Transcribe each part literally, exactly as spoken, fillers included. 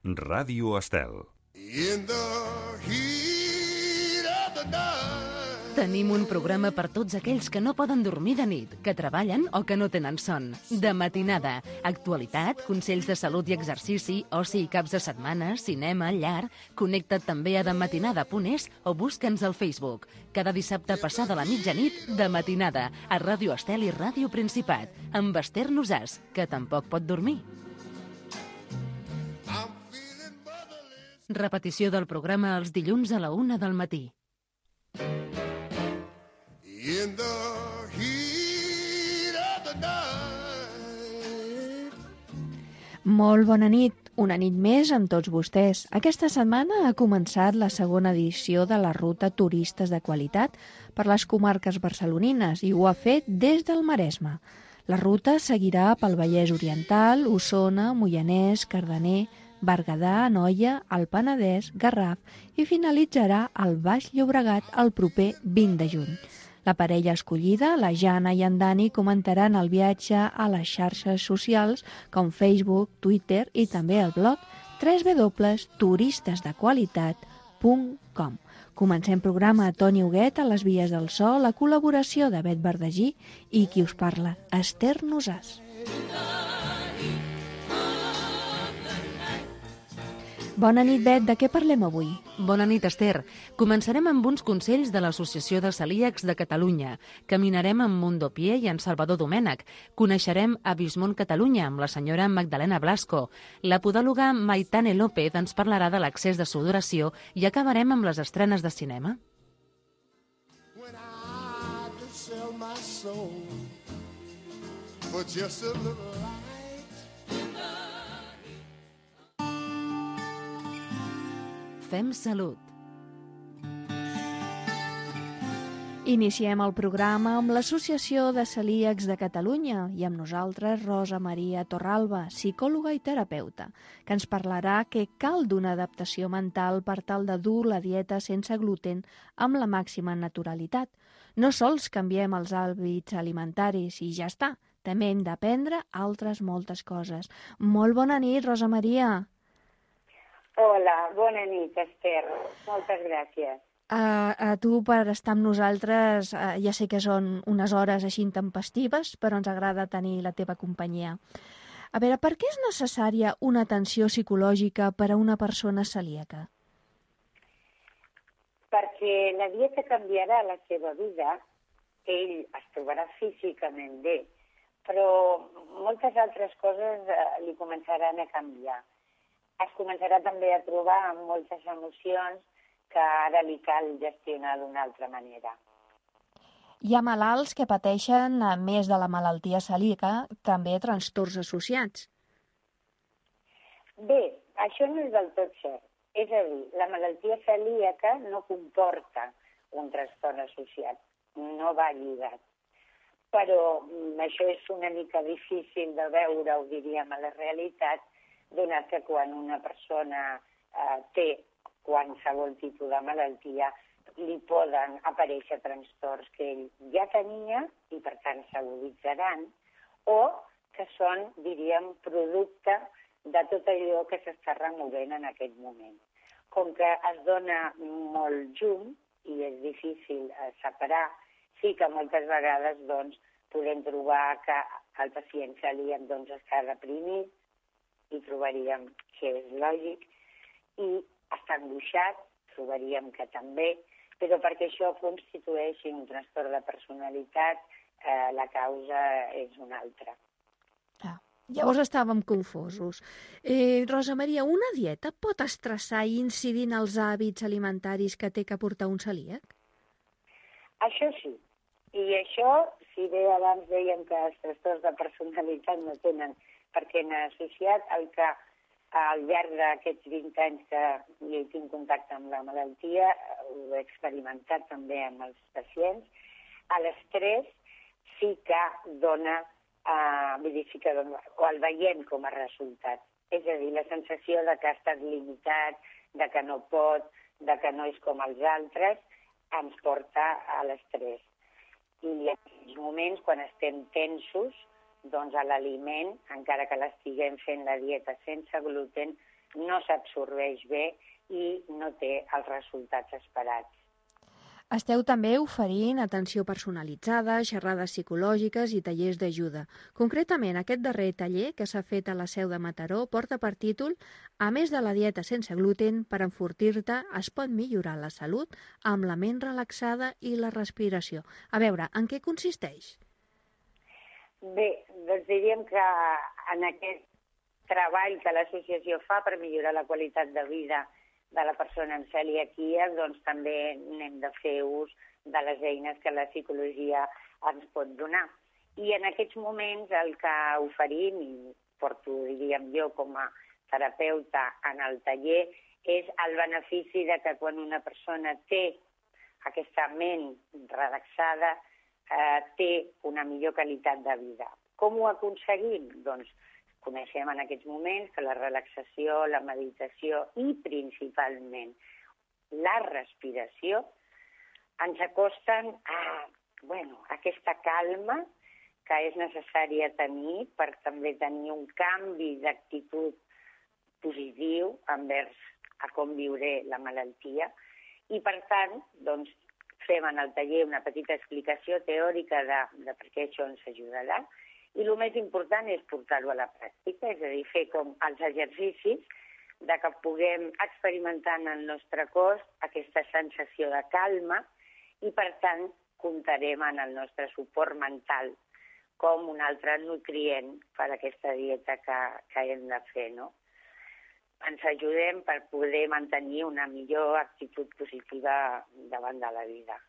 Ràdio Estel. Tenim un programa per tots aquells que no poden dormir de nit, que treballen o que no tenen son. De matinada, actualitat, consells de salut i exercici, oci i caps de setmana, cinema, llar... Connecta't també a dematinada punt es o busca'ns al Facebook. Cada dissabte passada la mitjanit, de matinada, a Ràdio Estel i Ràdio Principat, amb Esther Nosàs, que tampoc pot dormir. Repetició del programa els dilluns a la una del matí. In the heat of the night. Molt bona nit, una nit més amb tots vostès. Aquesta setmana ha començat la segona edició de la ruta Turistes de Qualitat per les comarques barcelonines i ho ha fet des del Maresme. La ruta seguirà pel Vallès Oriental, Osona, Moianès, Cardener, Berguedà, Anoia, el Penedès, Garraf i finalitzarà al Baix Llobregat el proper vint de juny. La parella escollida, la Jana i en Dani, comentaran el viatge a les xarxes socials com Facebook, Twitter i també el blog w w w punt turistes de qualitat punt com. Comencem programa a Toni Huguet a les vies del so, la col·laboració de Bet Verdagí i qui us parla, Esther Nosàs. Bona nit, Bet. De què parlem avui? Bona nit, Esther. Començarem amb uns consells de l'Associació de Celíacs de Catalunya. Caminarem amb Mundo Pie i en Salvador Domènech. Coneixerem a Vismont Catalunya amb la senyora Magdalena Blasco. La podòloga Maitane López ens parlarà de l'accés de sudoració i acabarem amb les estrenes de cinema. When I could sell my soul for just a little light. Fem salut. Iniciem el programa amb l'Associació de Celíacs de Catalunya i amb nosaltres Rosa Maria Torralba, psicòloga i terapeuta, que ens parlarà que cal d'una adaptació mental per tal de dur la dieta sense gluten amb la màxima naturalitat. No sols canviem els hàbits alimentaris i ja està, també hem d'aprendre altres moltes coses. Molt bona nit, Rosa Maria. Hola, bona nit, Esther. Moltes gràcies. Uh, a tu per estar amb nosaltres, uh, ja sé que són unes hores així intempestives, però ens agrada tenir la teva companyia. A veure, per què és necessària una atenció psicològica per a una persona celíaca? Perquè la dieta canviarà la seva vida, ell es trobarà físicament bé, però moltes altres coses uh, li començaran a canviar. Es començarà també a trobar amb moltes emocions que ara li cal gestionar d'una altra manera. Hi ha malalts que pateixen, a més de la malaltia celíaca, també trastorns associats. Bé, això no és del tot cert. És a dir, la malaltia celíaca no comporta un trastorn associat, no va lligat. Però això és una mica difícil de veure, ho diríem, a la realitat, donat que quan una persona eh, té qualsevol tipus de malaltia li poden aparèixer trastorns que ell ja tenia i per tant s'aguditzaran o que són, diríem, producte de tot allò que s'està removent en aquest moment. Com que es dona molt llum i és difícil eh, separar, sí que moltes vegades doncs, podem trobar que el pacient celíac doncs, està deprimit, i trobaríem que és lògic, i està angoixat, trobaríem que també, però perquè això constitueixi un trastorn de personalitat, eh, la causa és una altra. Ah, llavors estàvem confosos. Eh, Rosa Maria, una dieta pot estressar i incidir en els hàbits alimentaris que té que portar un celíac? Això sí, i això, si bé abans dèiem que els trastorns de personalitat no tenen perquè n'ha associat el que al llarg d'aquests vint anys que jo tinc contacte amb la malaltia, ho he experimentat també amb els pacients, l'estrès sí que dona, eh, vull dir, sí que dona, o el veiem com a resultat. És a dir, la sensació de que ha estat limitat, de que no pot, de que no és com els altres, ens porta a l'estrès. I en aquells moments, quan estem tensos, doncs a l'aliment, encara que l'estiguem fent la dieta sense gluten, no s'absorbeix bé i no té els resultats esperats. Esteu també oferint atenció personalitzada, xerrades psicològiques i tallers d'ajuda. Concretament, aquest darrer taller que s'ha fet a la seu de Mataró porta per títol "A més de la dieta sense gluten, per enfortir-te es pot millorar la salut amb la ment relaxada i la respiració". A veure, en què consisteix? Bé, doncs diríem que en aquest treball que l'associació fa per millorar la qualitat de vida de la persona amb celiaquia, doncs també n'hem de fer ús de les eines que la psicologia ens pot donar. I en aquests moments el que oferim, i porto, diríem jo, com a terapeuta en el taller, és el benefici de que quan una persona té aquesta ment relaxada, eh, té una millor qualitat de vida. Com ho aconseguim? Doncs coneixem en aquests moments que la relaxació, la meditació i principalment la respiració ens acosten a, bueno, a aquesta calma que és necessària tenir per també tenir un canvi d'actitud positiu envers a com viuré la malaltia. I per tant, doncs, fem en el taller una petita explicació teòrica de, de per què això ens ajudarà. I el més important és portar-ho a la pràctica, és a dir, fer com els exercicis de que puguem experimentar en el nostre cos aquesta sensació de calma i, per tant, comptarem en el nostre suport mental com un altre nutrient per a aquesta dieta que, que hem de fer, no? Ens ajudem per poder mantenir una millor actitud positiva davant de la vida.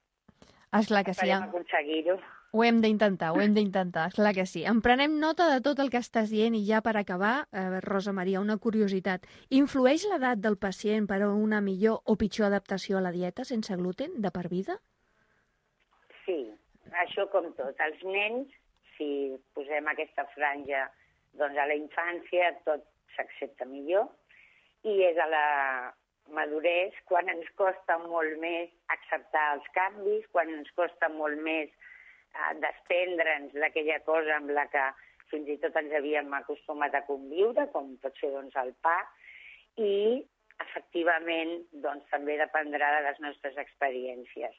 Esclar que sí. Esperem aconseguir-ho. Ho hem d'intentar, ho hem d'intentar, esclar que sí. En prenem nota de tot el que estàs dient i ja per acabar, eh, Rosa Maria, una curiositat. Influeix l'edat del pacient per a una millor o pitjor adaptació a la dieta sense gluten de per vida? Sí, això com tot. Els nens, si posem aquesta franja, doncs a la infància tot s'accepta millor i és a la madurez quan ens costa molt més acceptar els canvis, quan ens costa molt més eh, desprendre'ns d'aquella cosa amb la que fins i tot ens havíem acostumat a conviure, com pot ser doncs, el pa, i efectivament doncs, també dependrà de les nostres experiències.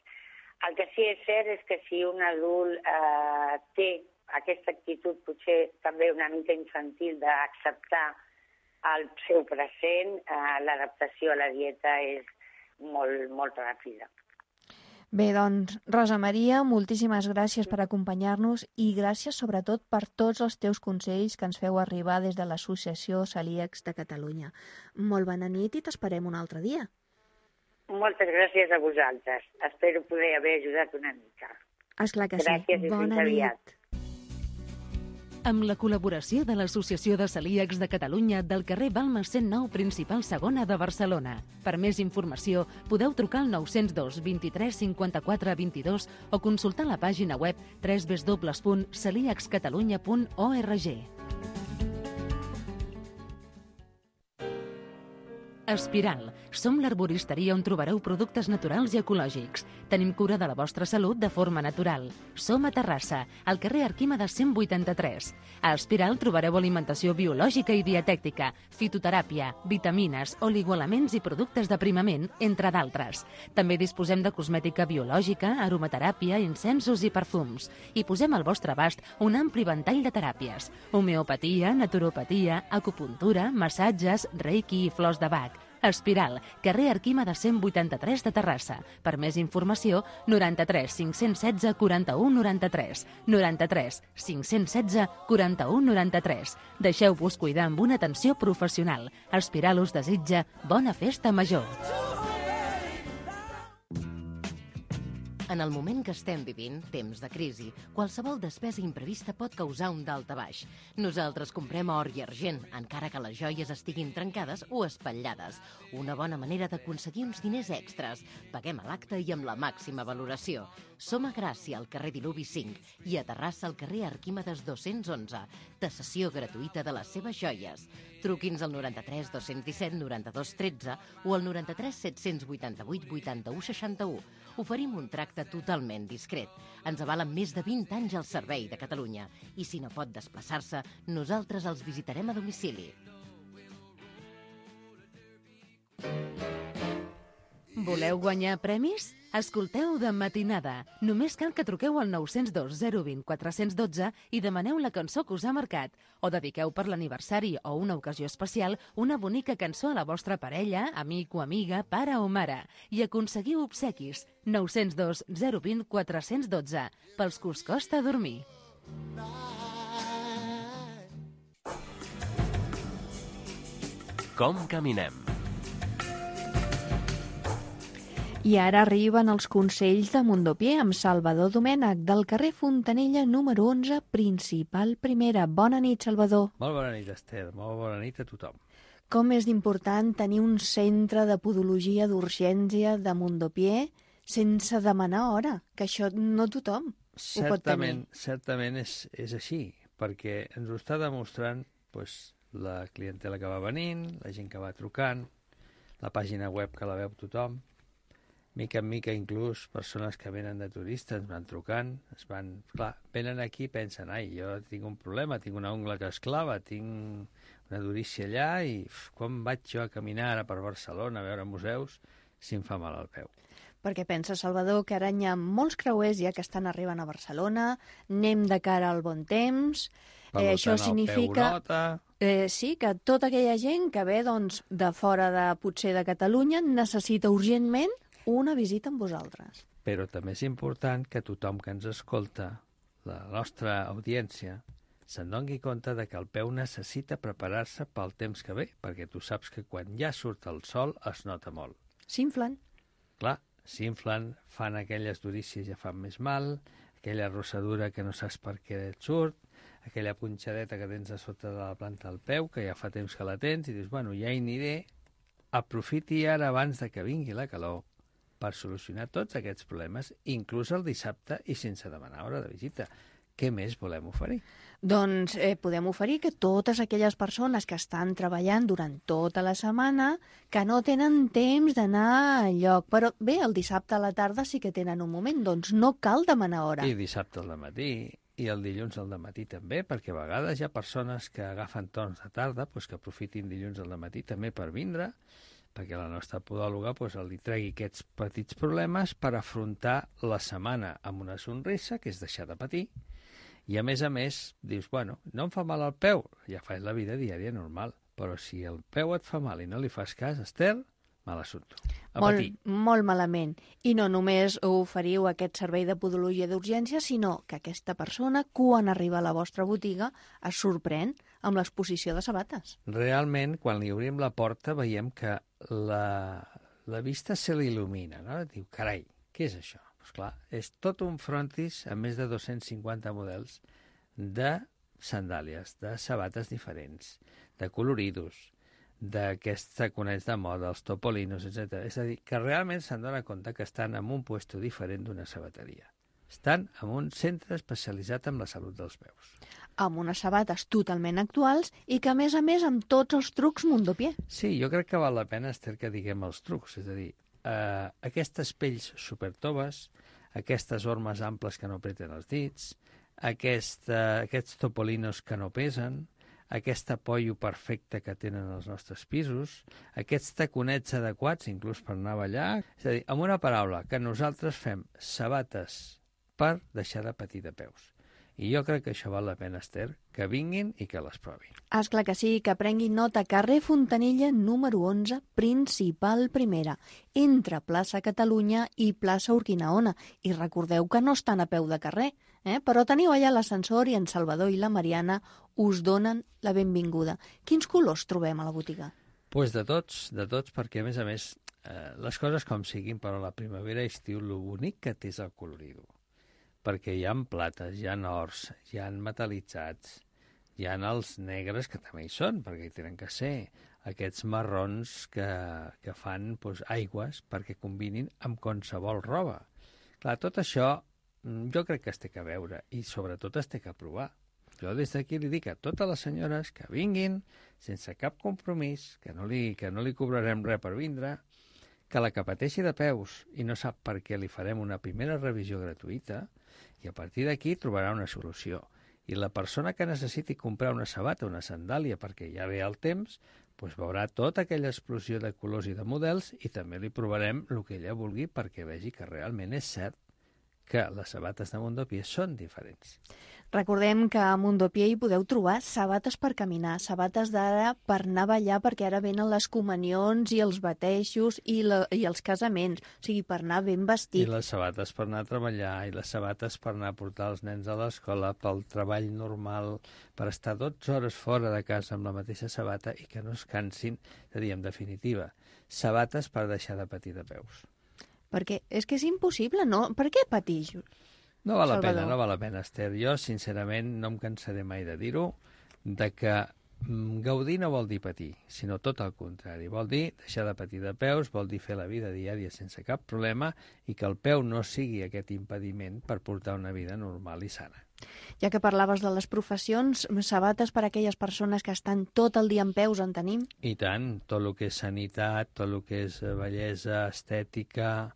El que sí és cert és que si un adult eh, té aquesta actitud potser també una mica infantil d'acceptar el seu present, eh, l'adaptació a la dieta és molt, molt ràpida. Bé, doncs, Rosa Maria, moltíssimes gràcies per acompanyar-nos i gràcies sobretot per tots els teus consells que ens feu arribar des de l'Associació Celíacs de Catalunya. Molt bona nit i t'esperem un altre dia. Moltes gràcies a vosaltres. Espero poder haver ajudat una mica. Esclar que sí. Gràcies i fins aviat. Amb la col·laboració de l'Associació de Celíacs de Catalunya del carrer Balmes cent nou Principal Segona de Barcelona. Per més informació, podeu trucar al nou zero dos, vint-i-tres, cinquanta-quatre, vint-i-dos o consultar la pàgina web w w w punt celíacs catalunya punt org. Espiral. Som l'arboristeria on trobareu productes naturals i ecològics. Tenim cura de la vostra salut de forma natural. Som a Terrassa, al carrer Arquímedes cent vuitanta-tres. A Espiral trobareu alimentació biològica i dietètica, fitoteràpia, vitamines, oligoelements i productes d'aprimament, entre d'altres. També disposem de cosmètica biològica, aromateràpia, incensos i perfums. I posem al vostre abast un ampli ventall de teràpies: homeopatia, naturopatia, acupuntura, massatges, reiki i flors de Bach. Espiral, carrer Arquímedes cent vuitanta-tres de Terrassa. Per més informació, noranta-tres cinc-cents setze quaranta-u noranta-tres. noranta-tres cinc-cents setze quaranta-u noranta-tres. Deixeu-vos cuidar amb una atenció professional. Espiral us desitja bona festa major. En el moment que estem vivint, temps de crisi, qualsevol despesa imprevista pot causar un daltabaix. Nosaltres comprem or i argent, encara que les joies estiguin trencades o espatllades. Una bona manera d'aconseguir uns diners extras. Paguem a l'acte i amb la màxima valoració. Som a Gràcia, al carrer Diluvi cinc, i a Terrassa, al carrer Arquímedes dos-cents onze. Tasació gratuïta de les seves joies. Truqui'ns al noranta-tres dos-cents disset noranta-dos tretze o al noranta-tres set-cents vuitanta-vuit vuitanta-u seixanta-u. Oferim un tracte totalment discret. Ens avalen més de vint anys al servei de Catalunya. I si no pot desplaçar-se, nosaltres els visitarem a domicili. Voleu guanyar premis? Escolteu De Matinada. Només cal que truqueu al nou zero dos zero dos zero quatre un dos i demaneu la cançó que us ha marcat. O dediqueu per l'aniversari o una ocasió especial una bonica cançó a la vostra parella, amic o amiga, pare o mare. I aconseguiu obsequis. nou zero dos zero dos zero quatre un dos. Pels que us costa dormir. Com caminem? I ara arriben els consells de Mundopié amb Salvador Domènech, del carrer Fontanella número onze, principal primera. Bona nit, Salvador. Molt bona nit, Esther. Molt bona nit a tothom. Com és d'important tenir un centre de podologia d'urgència de Mundopié sense demanar hora, que això no tothom ho pot tenir. Certament, certament és, és així, perquè ens ho està demostrant doncs, la clientela que va venint, la gent que va trucant, la pàgina web que la veu tothom. Mica en mica, inclús, persones que venen de turistes van trucant, es van... Clar, venen aquí i pensen, ai, jo tinc un problema, tinc una ungla que es clava, tinc una durícia allà i uf, quan vaig jo a caminar ara per Barcelona a veure museus si em fa mal al peu. Perquè pensa, Salvador, que ara hi ha molts creuers ja que estan arribant a Barcelona, anem de cara al bon temps, Per eh, això tant, el significa... peu nota... Eh, sí, que tota aquella gent que ve doncs, de fora de potser de Catalunya necessita urgentment una visita amb vosaltres. Però també és important que tothom que ens escolta, la nostra audiència, se'n doni compte de que el peu necessita preparar-se pel temps que ve, perquè tu saps que quan ja surt el sol es nota molt. S'inflen. Clar, s'inflen, fan aquelles durícies ja fan més mal, aquella rossadura que no saps per què et surt, aquella punxadeta que tens a sota de la planta del peu, que ja fa temps que la tens, i dius, bueno, ja hi aniré, aprofiti ara abans de que vingui la calor per solucionar tots aquests problemes, inclús el dissabte i sense demanar hora de visita. Què més volem oferir? Doncs eh, podem oferir que totes aquelles persones que estan treballant durant tota la setmana, que no tenen temps d'anar enlloc, però bé, el dissabte a la tarda sí que tenen un moment, doncs no cal demanar hora. I dissabte al matí, i el dilluns al matí també, perquè a vegades hi ha persones que agafen torns de tarda, doncs que aprofitin dilluns al matí també per vindre, perquè la nostra podòloga doncs, li tregui aquests petits problemes per afrontar la setmana amb una sonrisa, que és deixar de patir, i a més a més dius, bueno, no em fa mal el peu, ja fas la vida diària normal, però si el peu et fa mal i no li fas cas, Esther, mal assumpte. A molt, patir. molt malament. I no només oferiu aquest servei de podologia d'urgència, sinó que aquesta persona, quan arriba a la vostra botiga, es sorprèn amb l'exposició de sabates. Realment, quan li obrim la porta, veiem que la, la vista se l'il·lumina, no? Diu, carai, què és això? Pues clar, és tot un frontis amb més de dos-cents cinquanta models de sandàlies, de sabates diferents, de coloridos, d'aquests taconets de moda, els topolinos, etcètera. És a dir, que realment se'n dona compte que estan en un puesto diferent d'una sabateria. Estan en un centre especialitzat en la salut dels peus. Amb unes sabates totalment actuals i que, a més a més, amb tots els trucs Mundopié. Sí, jo crec que val la pena, Esther, que diguem els trucs. És a dir, eh, aquestes pells supertoves, aquestes ormes amples que no apreten els dits, aquest, eh, aquests topolinos que no pesen, aquest apoyo perfecte que tenen els nostres pisos, aquests taconets adequats, inclús per anar a ballar. És a dir, amb una paraula, que nosaltres fem sabates per deixar de patir de peus. I jo crec que això val la pena, Esther, que vinguin i que les provin. És clar que sí, que prenguin nota. Carrer Fontanella, número onze, principal primera, entre plaça Catalunya i plaça Urquinaona. I recordeu que no estan a peu de carrer, eh? Però teniu allà l'ascensor i en Salvador i la Mariana us donen la benvinguda. Quins colors trobem a la botiga? Doncs pues de tots, de tots, perquè a més a més, eh, les coses com siguin, però la primavera i estiu, lo bonic que té és el colorido. Perquè hi ha plates, hi ha ors, hi ha metal·litzats, hi ha els negres que també hi són, perquè hi tenen que ser, aquests marrons que, que fan doncs, aigües perquè combinin amb qualsevol roba. Clar, tot això jo crec que es té que veure i sobretot es té que provar. Jo des d'aquí li dic a totes les senyores que vinguin sense cap compromís, que no li, que no li cobrarem res per vindre, que la que pateixi de peus i no sap per què li farem una primera revisió gratuïta i a partir d'aquí trobarà una solució. I la persona que necessiti comprar una sabata o una sandàlia perquè ja ve el temps, doncs veurà tota aquella explosió de colors i de models i també li provarem el que ella vulgui perquè vegi que realment és cert que les sabates de Mundopié són diferents. Recordem que a Mundopié hi podeu trobar sabates per caminar, sabates d'ara per anar a ballar perquè ara venen les comunions i els batejos i, la, i els casaments, o sigui, per anar ben vestit. I les sabates per anar a treballar, i les sabates per anar a portar els nens a l'escola, pel treball normal, per estar dotze hores fora de casa amb la mateixa sabata i que no es cansin, és a dir, en definitiva, sabates per deixar de patir de peus. Perquè és que és impossible, no? Per què patir? No val la Salvador. pena, no val la pena, Esther. Jo, sincerament, no em cansaré mai de dir-ho, de que mm, gaudir no vol dir patir, sinó tot el contrari. Vol dir deixar de patir de peus, vol dir fer la vida diària sense cap problema i que el peu no sigui aquest impediment per portar una vida normal i sana. Ja que parlaves de les professions, sabates per a aquelles persones que estan tot el dia en peus, en tenim? I tant, tot el que és sanitat, tot el que és bellesa, estètica,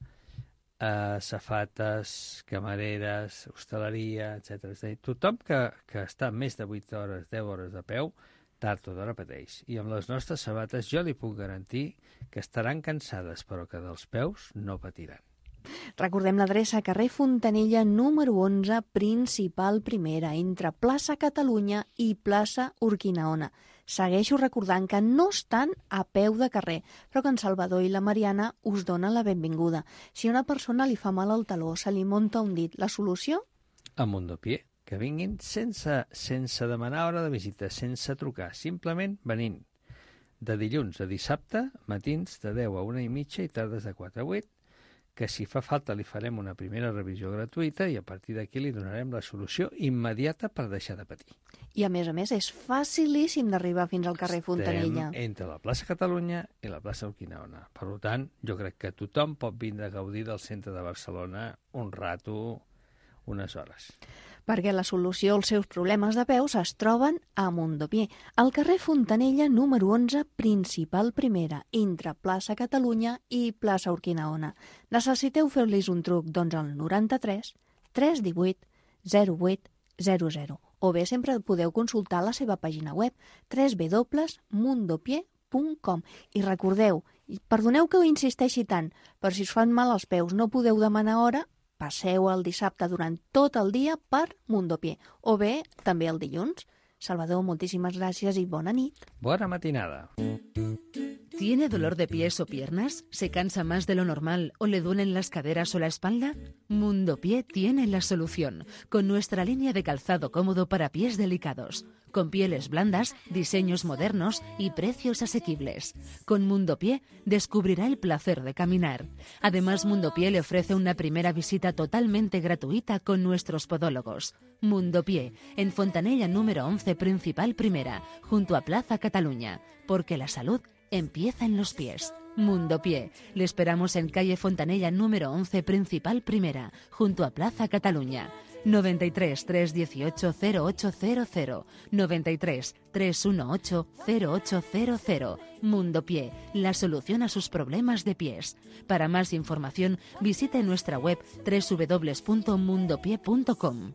eh, safates, camareres, hostaleria, etcètera. És a dir, tothom que, que està més de vuit hores, deu hores de peu, tard o d'hora pateix. I amb les nostres sabates jo li puc garantir que estaran cansades, però que dels peus no patiran. Recordem l'adreça carrer Fontanella número onze, principal primera, entre plaça Catalunya i plaça Urquinaona. Segueixo recordant que no estan a peu de carrer, però que en Salvador i la Mariana us donen la benvinguda. Si a una persona li fa mal al taló, se li munta un dit, la solució? A Mundopié, que vinguin sense, sense demanar hora de visita, sense trucar, simplement venint. De dilluns a dissabte, matins de deu a una i mitja i tardes de quatre a vuit, que si fa falta li farem una primera revisió gratuïta i a partir d'aquí li donarem la solució immediata per deixar de patir. I a més a més és facilíssim d'arribar fins al carrer Fontanella. Estem entre la plaça Catalunya i la plaça Urquinaona. Per tant, jo crec que tothom pot vindre a gaudir del centre de Barcelona un rato, unes hores. Perquè la solució als seus problemes de peus es troben a Mundopié, al carrer Fontanella número onze, principal primera, entre plaça Catalunya i plaça Urquinaona. Necessiteu fer-los un truc, doncs al noranta-tres tres divuit zero vuit zero zero. O bé sempre podeu consultar la seva pàgina web w w w punt mundopié punt com. I recordeu, perdoneu que ho insisteixi tant, però si us fan mal els peus no podeu demanar hora, passeu el dissabte durant tot el dia per Mundopié, o bé també el dilluns. Salvador, moltíssimes gràcies i bona nit. Bona matinada. ¿Tiene dolor de pies o piernas? ¿Se cansa más de lo normal o le duelen las caderas o la espalda? Mundopié tiene la solución, con nuestra línea de calzado cómodo para pies delicados, con pieles blandas, diseños modernos y precios asequibles. Con Mundopié descubrirá el placer de caminar. Además, Mundopié le ofrece una primera visita totalmente gratuita con nuestros podólogos. Mundopié, en Fontanella número once, principal primera, junto a Plaza Cataluña, porque la salud empieza en los pies. Mundopié. Le esperamos en calle Fontanella número once, principal primera, junto a Plaza Cataluña. noventa y tres, tres dieciocho, cero ocho cero cero. noventa y tres, tres dieciocho, cero ocho cero cero. Mundopié, la solución a sus problemas de pies. Para más información, visite nuestra web w w w punto mundopié punto com.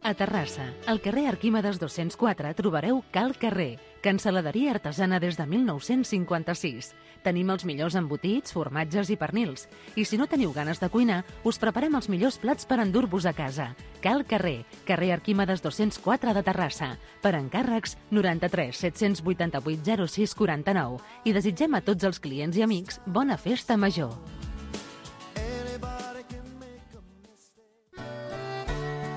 A Terrassa, al carrer Arquímedes dos-cents quatre, trobareu Cal Carrer, cancel·laderia artesana des de mil nou-cents cinquanta-sis. Tenim els millors embotits, formatges i pernils. I si no teniu ganes de cuinar, us preparem els millors plats per endur-vos a casa. Cal Carrer, carrer Arquímedes dos-cents quatre de Terrassa. Per encàrrecs, noranta-tres set-cents vuitanta-vuit zero sis quaranta-nou. I desitgem a tots els clients i amics bona festa major.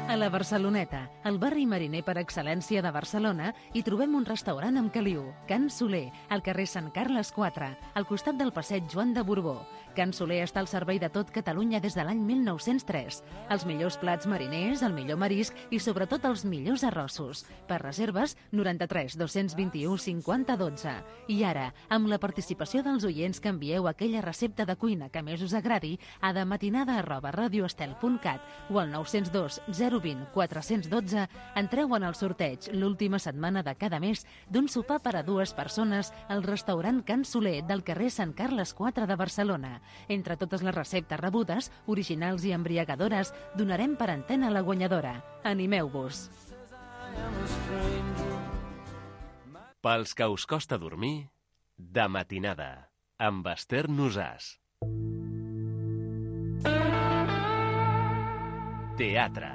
A la Barceloneta, el barri mariner per excel·lència de Barcelona, hi trobem un restaurant amb caliu, Can Soler, al carrer Sant Carles quatre, al costat del passeig Joan de Borbó. Can Soler està al servei de tot Catalunya des de l'any mil nou-cents tres. Els millors plats mariners, el millor marisc i sobretot els millors arrossos. Per reserves, noranta-tres dos-cents vint-i-u cinquanta dotze. I ara, amb la participació dels oients que envieu aquella recepta de cuina que més us agradi, a dematinada arroba radioestel punt cat o al nou zero dos zero vint quatre dotze, entreu en el sorteig l'última setmana de cada mes d'un sopar per a dues persones al restaurant Can Soler del carrer Sant Carles quatre de Barcelona. Entre totes les receptes rebudes, originals i embriagadores, donarem per antena la guanyadora. Animeu-vos! Pels que us costa dormir, de matinada, amb Esther Nosàs. Teatre.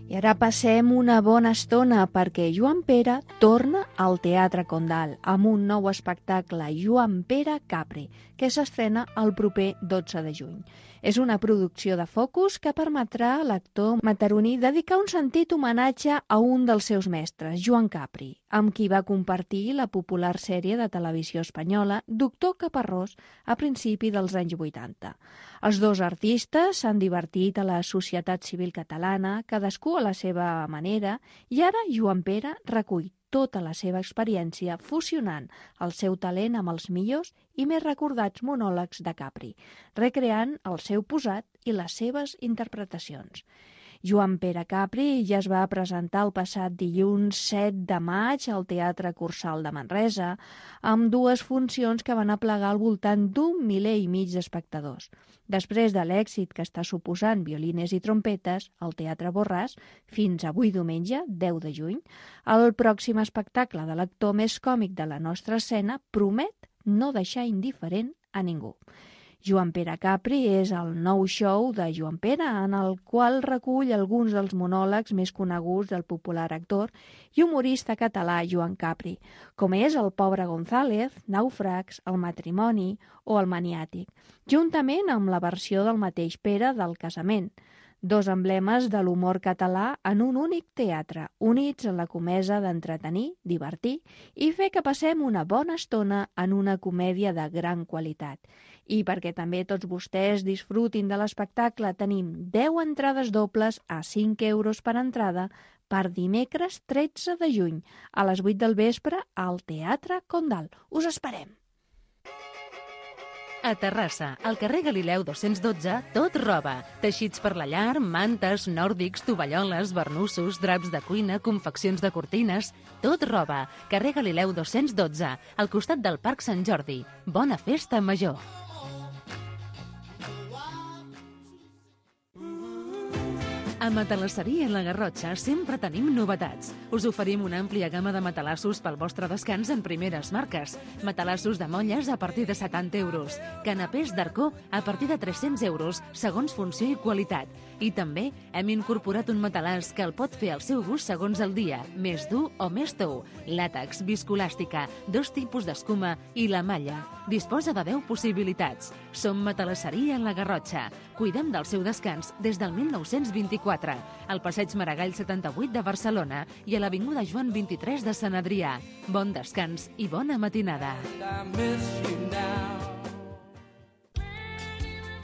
I ara passem una bona estona perquè Joan Pere torna al Teatre Condal amb un nou espectacle, Joan Pere Capri, que s'estrena el proper dotze de juny. És una producció de Focus que permetrà a l'actor mataroní dedicar un sentit homenatge a un dels seus mestres, Joan Capri, amb qui va compartir la popular sèrie de televisió espanyola Doctor Caparrós a principi dels anys vuitanta. Els dos artistes s'han divertit a la societat civil catalana, cadascú a la seva manera, i ara Joan Pere recull tota la seva experiència fusionant el seu talent amb els millors i més recordats monòlegs de Capri, recreant el seu posat i les seves interpretacions. Joan Pere Capri ja es va presentar el passat dilluns set de maig al Teatre Cursal de Manresa, amb dues funcions que van aplegar al voltant d'un miler i mig d'espectadors. Després de l'èxit que està suposant Violines i trompetes al Teatre Borràs, fins avui diumenge, deu de juny, el pròxim espectacle de l'actor més còmic de la nostra escena promet no deixar indiferent a ningú. Joan Pere Capri és el nou show de Joan Pere, en el qual recull alguns dels monòlegs més coneguts del popular actor i humorista català Joan Capri, com és El pobre González, Nàufrags, El matrimoni o El maniàtic, juntament amb la versió del mateix Pere del Casament, dos emblemes de l'humor català en un únic teatre, units en la comesa d'entretenir, divertir i fer que passem una bona estona en una comèdia de gran qualitat. I perquè també tots vostès disfrutin de l'espectacle, tenim deu entrades dobles a cinc euros per entrada per dimecres tretze de juny, a les vuit del vespre al Teatre Condal. Us esperem! A Terrassa, al carrer Galileu dos-cents dotze, tot roba. Teixits per la llar, mantes, nòrdics, tovalloles, barnussos, draps de cuina, confeccions de cortines... Tot roba. Carrer Galileu dos-cents dotze, al costat del Parc Sant Jordi. Bona festa major! A Matalasseria La Garrotxa sempre tenim novetats. Us oferim una àmplia gamma de matalassos pel vostre descans en primeres marques. Matalassos de molles a partir de setanta euros. Canapés d'arcó a partir de tres-cents euros, segons funció i qualitat. I també hem incorporat un matalàs que el pot fer al seu gust segons el dia, més dur o més tou. Làtex, viscolàstica, dos tipus d'escuma i la malla. Disposa de deu possibilitats. Som Matalasseria La Garrotxa. Cuidem del seu descans des del mil nou-cents vint-i-quatre, al passeig Maragall setanta-vuit de Barcelona i a l'avinguda Joan vint-i-tres de Sant Adrià. Bon descans i bona matinada.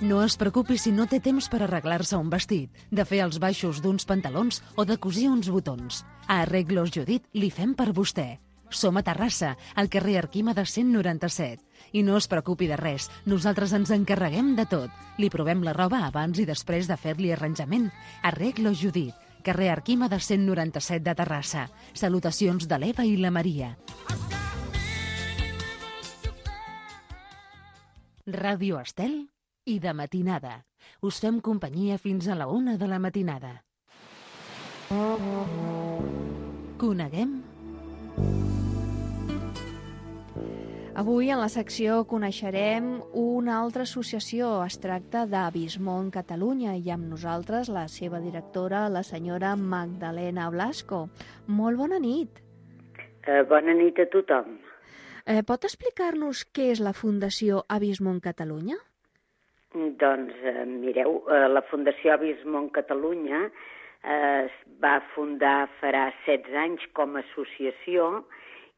No es preocupi si no té temps per arreglar-se un vestit, de fer els baixos d'uns pantalons o de cosir uns botons. A Arreglos Judit li fem per vostè. Som a Terrassa, al carrer Arquímedes cent noranta-set. I no es preocupi de res, nosaltres ens encarreguem de tot. Li provem la roba abans i després de fer-li arranjament. Arreglos Judit, carrer Arquímedes cent noranta-set de Terrassa. Salutacions de l'Eva i la Maria. Ràdio Estel i de matinada. Us fem companyia fins a la una de la matinada. Coneguem? Avui en la secció coneixerem una altra associació. Es tracta d'Avismón Catalunya i amb nosaltres la seva directora, la senyora Magdalena Blasco. Molt bona nit. Eh, bona nit a tothom. Eh, pot explicar-nos què és la Fundació Avismón Catalunya? Doncs, eh, mireu, eh, la Fundació Avismón Catalunya eh, es va fundar farà setze anys com a associació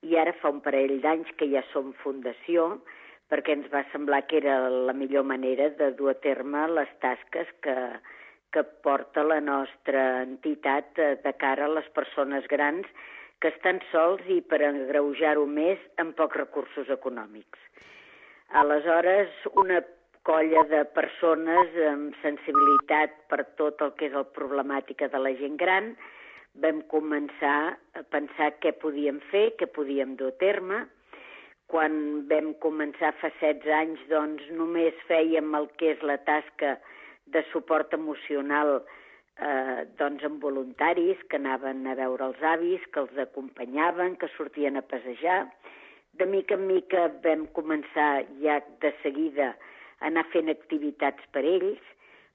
i ara fa un parell d'anys que ja som fundació perquè ens va semblar que era la millor manera de dur a terme les tasques que, que porta la nostra entitat de cara a les persones grans que estan sols i per agreujar-ho més amb pocs recursos econòmics. Aleshores, una colla de persones amb sensibilitat per tot el que és la problemàtica de la gent gran vam començar a pensar què podíem fer, què podíem dur a terme. Quan vam començar fa setze anys, doncs només fèiem el que és la tasca de suport emocional eh, doncs amb voluntaris que anaven a veure els avis, que els acompanyaven, que sortien a passejar. De mica en mica vam començar ja de seguida a anar fent activitats per ells,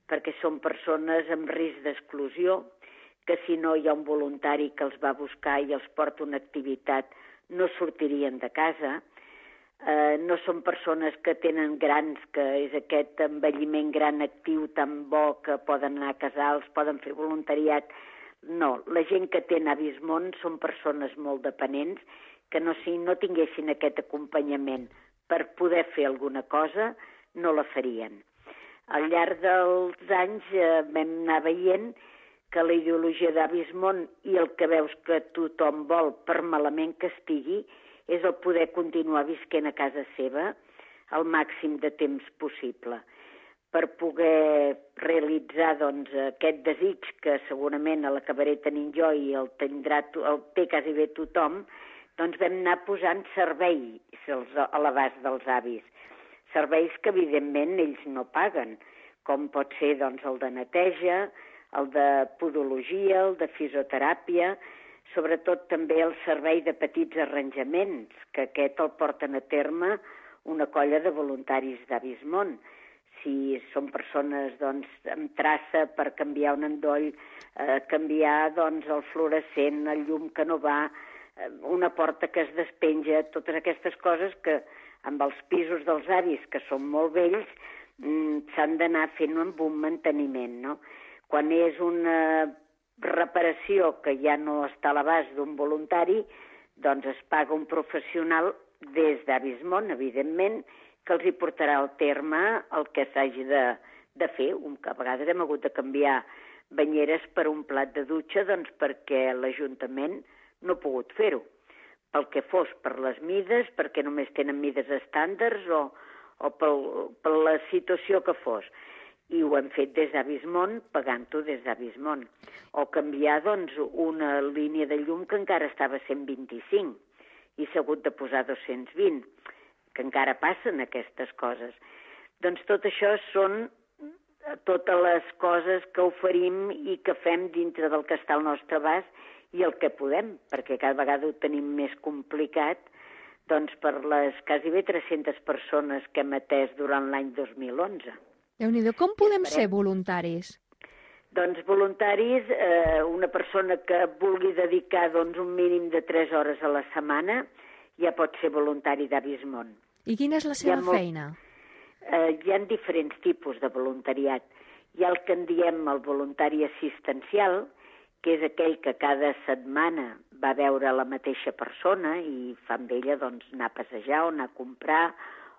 perquè són persones amb risc d'exclusió, que si no hi ha un voluntari que els va buscar i els porta una activitat, no sortirien de casa. Eh, no són persones que tenen grans, que és aquest envelliment gran actiu tan bo que poden anar a casals, poden fer voluntariat. No, la gent que té avis món són persones molt dependents que no, si no tinguessin aquest acompanyament per poder fer alguna cosa, no la farien. Al llarg dels anys eh, vam anar veient que la ideologia d'Avis Món i el que veus que tothom vol, per malament que estigui, és el poder continuar visquent a casa seva el màxim de temps possible, per poder realitzar doncs, aquest desig que segurament l'acabaré tenint jo i el, tindrà, el té quasi bé tothom, doncs vam anar posant serveis a l'abast dels avis. Serveis que, evidentment, ells no paguen, com pot ser doncs, el de neteja, el de podologia, el de fisioteràpia, sobretot també el servei de petits arranjaments, que aquest el porten a terme una colla de voluntaris d'Avis Món. Si són persones doncs, amb traça per canviar un endoll, eh, canviar doncs, el fluorescent, el llum que no va, eh, una porta que es despenja, totes aquestes coses que amb els pisos dels avis, que són molt vells, mm, s'han d'anar fent amb un manteniment, no? Quan és una reparació que ja no està a l'abast d'un voluntari, doncs es paga un professional des d'Avis Món, evidentment, que els hi portarà al terme el que s'hagi de, de fer. Un, que a vegades hem hagut de canviar banyeres per un plat de dutxa doncs perquè l'Ajuntament no ha pogut fer-ho. Pel que fos, per les mides, perquè només tenen mides estàndards o, o pel, per la situació que fos. I ho hem fet des d'Avis Món, pagant-ho des d'Avis Món. O canviar, doncs, una línia de llum que encara estava a cent vint-i-cinc i s'ha hagut de posar dos-cents vint, que encara passen aquestes coses. Doncs tot això són totes les coses que oferim i que fem dintre del que està al nostre abast i el que podem, perquè cada vegada ho tenim més complicat, doncs per les quasi bé tres-centes persones que hem atès durant l'any dos mil onze. Déu-n'hi-do, com podem ser voluntaris? Doncs voluntaris, eh, una persona que vulgui dedicar doncs, un mínim de tres hores a la setmana ja pot ser voluntari d'Avis Món. I quina és la seva molt... feina? Eh, hi ha diferents tipus de voluntariat. Hi ha el que en diem el voluntari assistencial, que és aquell que cada setmana va veure la mateixa persona i fa amb ella doncs, anar a passejar o anar a comprar,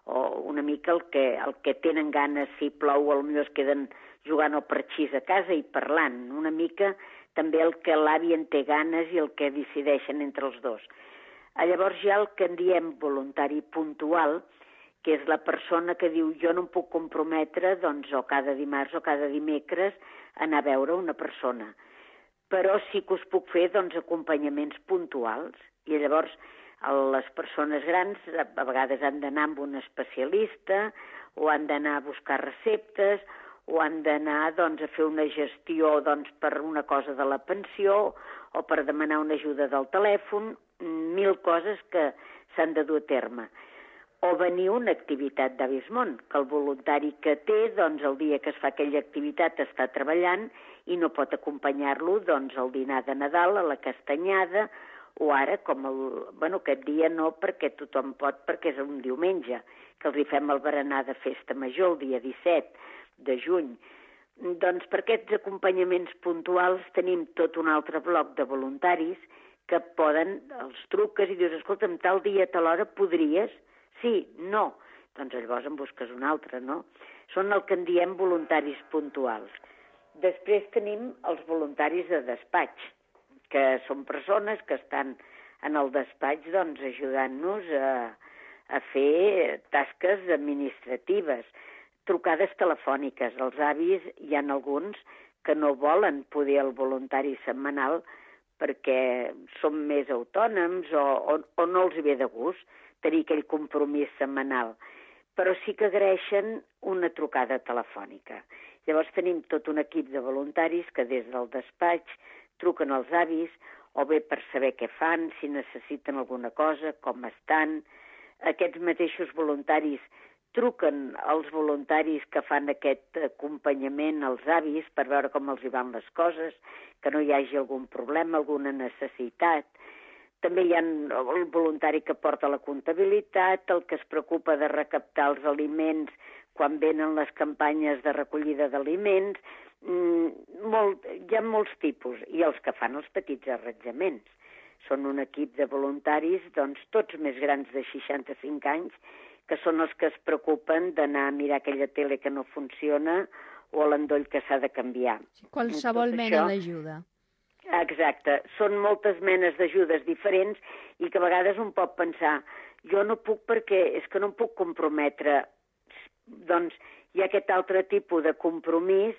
o una mica el que, el que tenen ganes, si plou, potser es queden jugant al parxís a casa i parlant. Una mica també el que l'avi en té ganes i el que decideixen entre els dos. Llavors hi ha el que en diem voluntari puntual, que és la persona que diu jo no em puc comprometre doncs, o cada dimarts o cada dimecres anar a veure una persona, però sí que us puc fer doncs, acompanyaments puntuals. I llavors les persones grans a vegades han d'anar amb un especialista o han d'anar a buscar receptes o han d'anar doncs, a fer una gestió doncs, per una cosa de la pensió o per demanar una ajuda del telèfon, mil coses que s'han de dur a terme. O venir a una activitat d'Avis Món, que el voluntari que té, doncs el dia que es fa aquella activitat està treballant i no pot acompanyar-lo doncs, al dinar de Nadal, a la castanyada, o ara, com el, bueno, aquest dia no, perquè tothom pot, perquè és un diumenge, que els hi fem el berenar de festa major, el dia disset de juny. Doncs per aquests acompanyaments puntuals tenim tot un altre bloc de voluntaris que poden, els truques i dius, escolta'm, tal dia, tal hora, podries? Sí, no. Doncs llavors en busques un altre, no? Són el que en diem voluntaris puntuals. Després tenim els voluntaris de despatx, que són persones que estan en el despatx doncs, ajudant-nos a, a fer tasques administratives, trucades telefòniques. Els avis hi ha alguns que no volen poder el voluntari setmanal perquè són més autònoms o, o, o no els hi ve de gust tenir aquell compromís setmanal. però sí que agraeixen una trucada telefònica. Llavors tenim tot un equip de voluntaris que des del despatx truquen als avis, o bé per saber què fan, si necessiten alguna cosa, com estan. Aquests mateixos voluntaris truquen als voluntaris que fan aquest acompanyament als avis per veure com els hi van les coses, que no hi hagi algun problema, alguna necessitat. També hi ha el voluntari que porta la comptabilitat, el que es preocupa de recaptar els aliments quan venen les campanyes de recollida d'aliments. Mm, molt, hi ha molts tipus, i els que fan els petits arranjaments. Són un equip de voluntaris, doncs, tots més grans de seixanta-cinc anys, que són els que es preocupen d'anar a mirar aquella tele que no funciona o l'endoll que s'ha de canviar. Qualsevol mena d'ajuda. Exacte. Són moltes menes d'ajudes diferents i que a vegades un pot pensar jo no puc perquè és que no em puc comprometre. Doncs hi ha aquest altre tipus de compromís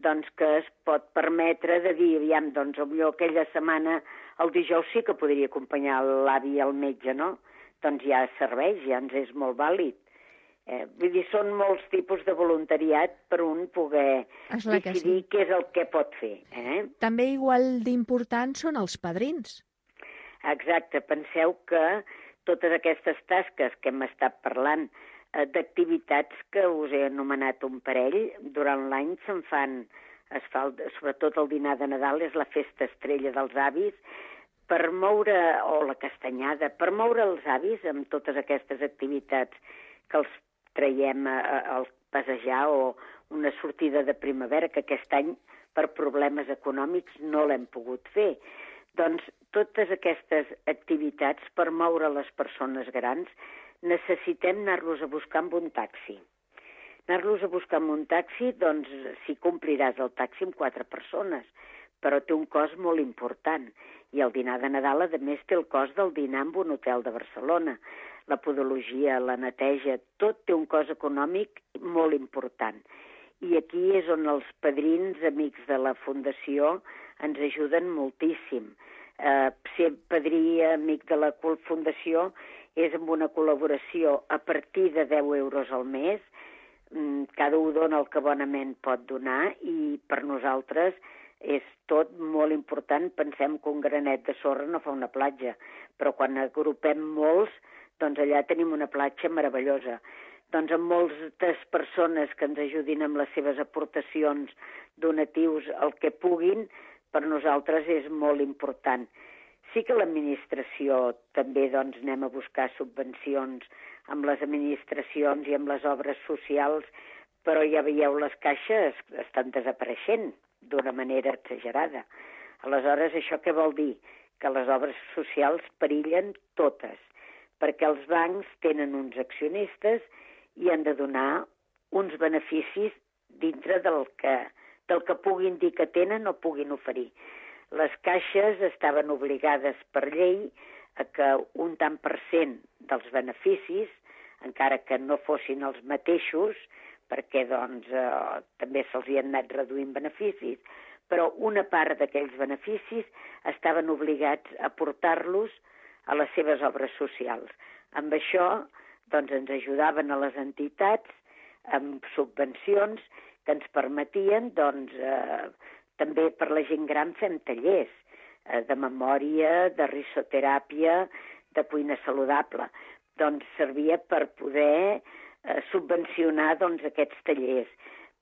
doncs, que es pot permetre de dir, aviam, doncs, potser aquella setmana, el dijous sí que podria acompanyar l'avi al metge, no? Doncs ja serveix, ja ens és molt vàlid. Eh, vull dir, són molts tipus de voluntariat per un poder decidir sí. Què és el que pot fer. Eh? També igual d'importants són els padrins. Exacte, penseu que totes aquestes tasques que hem estat parlant eh, d'activitats que us he anomenat un parell, durant l'any se'n fan, es fa, sobretot el dinar de Nadal, és la festa estrella dels avis, per moure, o la castanyada, per moure els avis amb totes aquestes activitats que els traiem a, a, a passejar o una sortida de primavera, que aquest any per problemes econòmics no l'hem pogut fer. Doncs totes aquestes activitats per moure les persones grans necessitem anar-los a buscar amb un taxi. Anar-los a buscar amb un taxi, doncs si compliràs el taxi amb quatre persones, però té un cost molt important. I el dinar de Nadal, a més, té el cost del dinar en un hotel de Barcelona. La podologia, la neteja, tot té un cost econòmic molt important. I aquí és on els padrins, amics de la Fundació, ens ajuden moltíssim. Eh, ser padrí, amic de la Fundació, és amb una col·laboració a partir de deu euros al mes. Cada un dona el que bonament pot donar i per nosaltres és tot molt important. Pensem que un granet de sorra no fa una platja, però quan agrupem molts, doncs allà tenim una platja meravellosa. Doncs amb moltes persones que ens ajudin amb les seves aportacions, donatius, el que puguin, per nosaltres és molt important. Sí que l'administració també doncs, anem a buscar subvencions amb les administracions i amb les obres socials, però ja veieu, les caixes estan desapareixent d'una manera exagerada. Aleshores, això què vol dir? Que les obres socials perillen totes, perquè els bancs tenen uns accionistes i han de donar uns beneficis dintre del que, del que puguin dir que tenen o puguin oferir. Les caixes estaven obligades per llei a que un tant per cent dels beneficis, encara que no fossin els mateixos, perquè doncs, eh, també se'ls hi han anat reduint beneficis, però una part d'aquells beneficis estaven obligats a portar-los a les seves obres socials. Amb això doncs, ens ajudaven a les entitats amb subvencions que ens permetien, doncs, eh, també per la gent gran fem tallers eh, de memòria, de risoteràpia, de cuina saludable. Doncs servia per poder eh, subvencionar doncs, aquests tallers,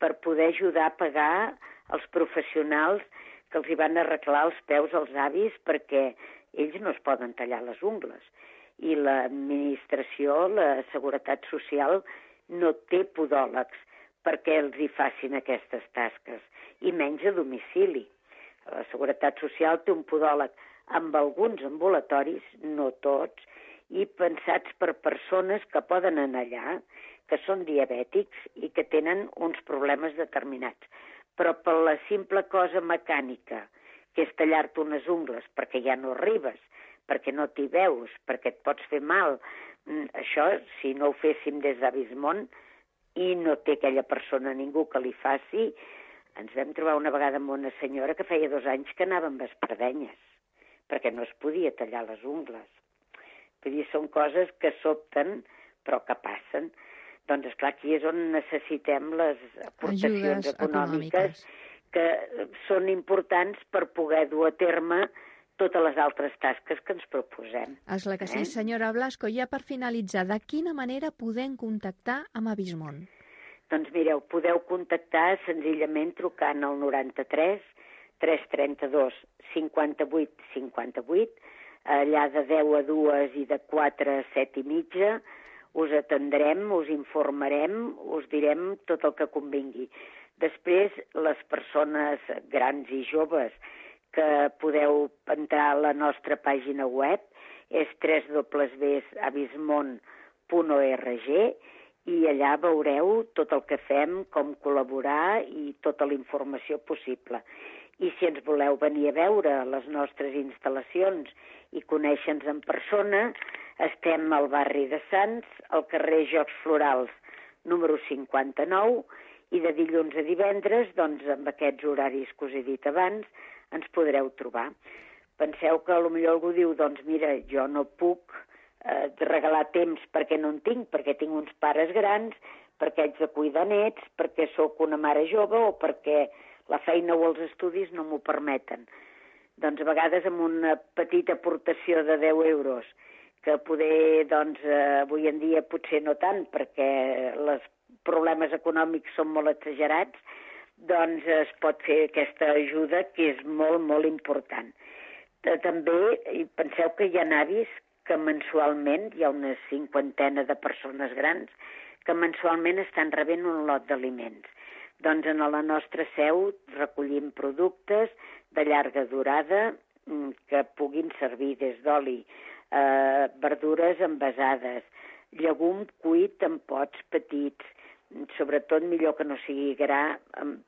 per poder ajudar a pagar els professionals que els hi van arreglar els peus als avis perquè ells no es poden tallar les ungles. I l'administració, la Seguretat Social, no té podòlegs perquè els hi facin aquestes tasques, i menys a domicili. La Seguretat Social té un podòleg amb alguns ambulatoris, no tots, i pensats per persones que poden anar allà, que són diabètics i que tenen uns problemes determinats. Però per la simple cosa mecànica, que és tallar-te unes ungles perquè ja no arribes, perquè no t'hi veus, perquè et pots fer mal, això, si no ho féssim des d'Avismont i no té aquella persona ningú que li faci, ens vam trobar una vegada amb una senyora que feia dos anys que anava amb espardenyes, perquè no es podia tallar les ungles. Vull dir, són coses que sobten, però que passen. Doncs, esclar, aquí és on necessitem les aportacions Ajudes econòmiques, econòmiques que són importants per poder dur a terme totes les altres tasques que ens proposem. Esclar que sí. Eh? Senyora Blasco, ja per finalitzar, de quina manera podem contactar amb Abismón? Doncs mireu, podeu contactar senzillament trucant al noranta-tres tres trenta-dos cinquanta-vuit cinquanta-vuit, allà de deu a dues i de quatre a set i mitja, us atendrem, us informarem, us direm tot el que convingui. Després, les persones grans i joves que podeu entrar a la nostra pàgina web és w w w punt abismon punt org i allà veureu tot el que fem, com col·laborar i tota la informació possible. I si ens voleu venir a veure les nostres instal·lacions i conèixer-nos en persona, estem al barri de Sants, al carrer Jocs Florals, número cinquanta-nou, i de dilluns a divendres, doncs, amb aquests horaris que us he dit abans, ens podreu trobar. Penseu que potser algú diu, doncs mira, jo no puc eh, regalar temps perquè no en tinc, perquè tinc uns pares grans, perquè haig de cuidar nets, perquè sóc una mare jove o perquè la feina o els estudis no m'ho permeten. Doncs a vegades amb una petita aportació de deu euros, que poder, doncs, eh, avui en dia potser no tant, perquè els problemes econòmics són molt exagerats, doncs es pot fer aquesta ajuda que és molt, molt important. També penseu que hi ha avis que mensualment, hi ha una cinquantena de persones grans, que mensualment estan rebent un lot d'aliments. Doncs en la nostra seu recollim productes de llarga durada que puguin servir des d'oli, eh, verdures envasades, llegum cuit en pots petits, sobretot millor que no sigui gra,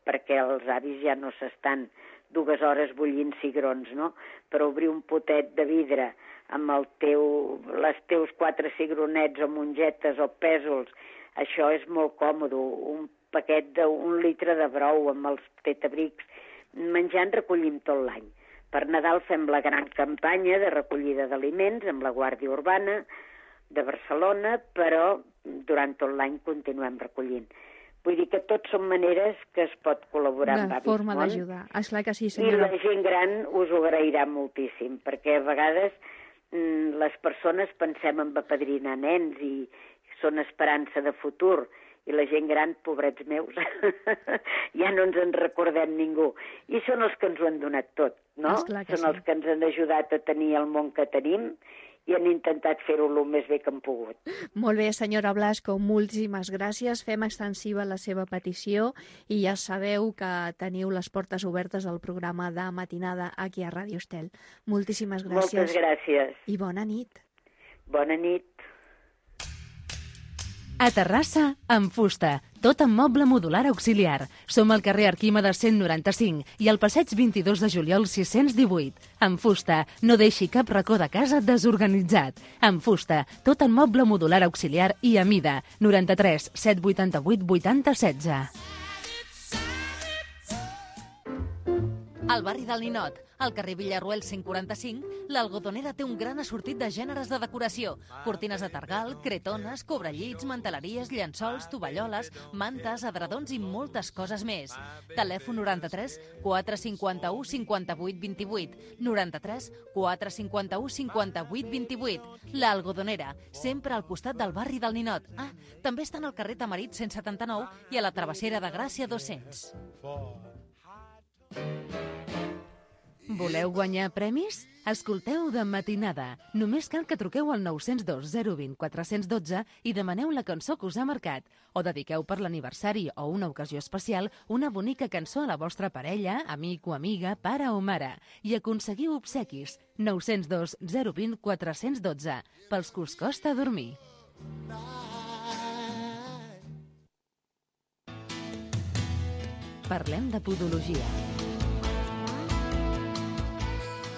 perquè els avis ja no s'estan dues hores bullint cigrons, no? Per obrir un potet de vidre amb el teu, les teus quatre cigronets o mongetes o pèsols, això és molt còmode. Un paquet d'un litre de brou amb els tetabrics, menjant recollim tot l'any. Per Nadal fem la gran campanya de recollida d'aliments amb la Guàrdia Urbana de Barcelona, però durant tot l'any continuem recollint. Vull dir que tot són maneres que es pot col·laborar amb Abismón. De forma d'ajudar. Esclar que sí, I senyora. la gent gran us ho agrairà moltíssim, perquè a vegades mm, les persones pensem en apadrinar nens i són esperança de futur, i la gent gran, pobrets meus, ja no ens en recordem ningú. I són els que ens ho han donat tot, no? Són sí. els que ens han ajudat a tenir el món que tenim i han intentat fer-ho el més bé que han pogut. Molt bé, senyora Blasco, moltíssimes gràcies. Fem extensiva la seva petició i ja sabeu que teniu les portes obertes al programa de matinada aquí a Ràdio Estel. Moltíssimes gràcies. Moltes gràcies. I bona nit. Bona nit. A Terrassa, en fusta, tot en moble modular auxiliar. Som al carrer Arquímedes cent noranta-cinc i al passeig vint-i-dos de juliol sis-cents divuit. En fusta, no deixi cap racó de casa desorganitzat. En fusta, tot en moble modular auxiliar i a mida. noranta-tres set vuitanta-vuit vuitanta setze. Al barri del Ninot, al carrer Villarroel cent quaranta-cinc, l'Algodonera té un gran assortit de gèneres de decoració. Cortines de targal, cretones, cobrellits, manteleries, llençols, tovalloles, mantes, adredons i moltes coses més. Telèfon noranta-tres quatre cinquanta-u cinquanta-vuit vint-i-vuit, noranta-tres quatre cinquanta-u cinquanta-vuit vint-i-vuit. L'Algodonera, sempre al costat del barri del Ninot. Ah, també estan al carrer Tamarit cent setanta-nou i a la Travessera de Gràcia dos-cents. Voleu guanyar premis? Escolteu de matinada. Només cal que truqueu al nou zero dos zero dos zero quatre un dos i demaneu la cançó que us ha marcat. O dediqueu per l'aniversari o una ocasió especial una bonica cançó a la vostra parella, amic o amiga, pare o mare. I aconseguiu obsequis. nou zero dos zero dos zero quatre un dos, pels que us costa dormir. Parlem de podologia.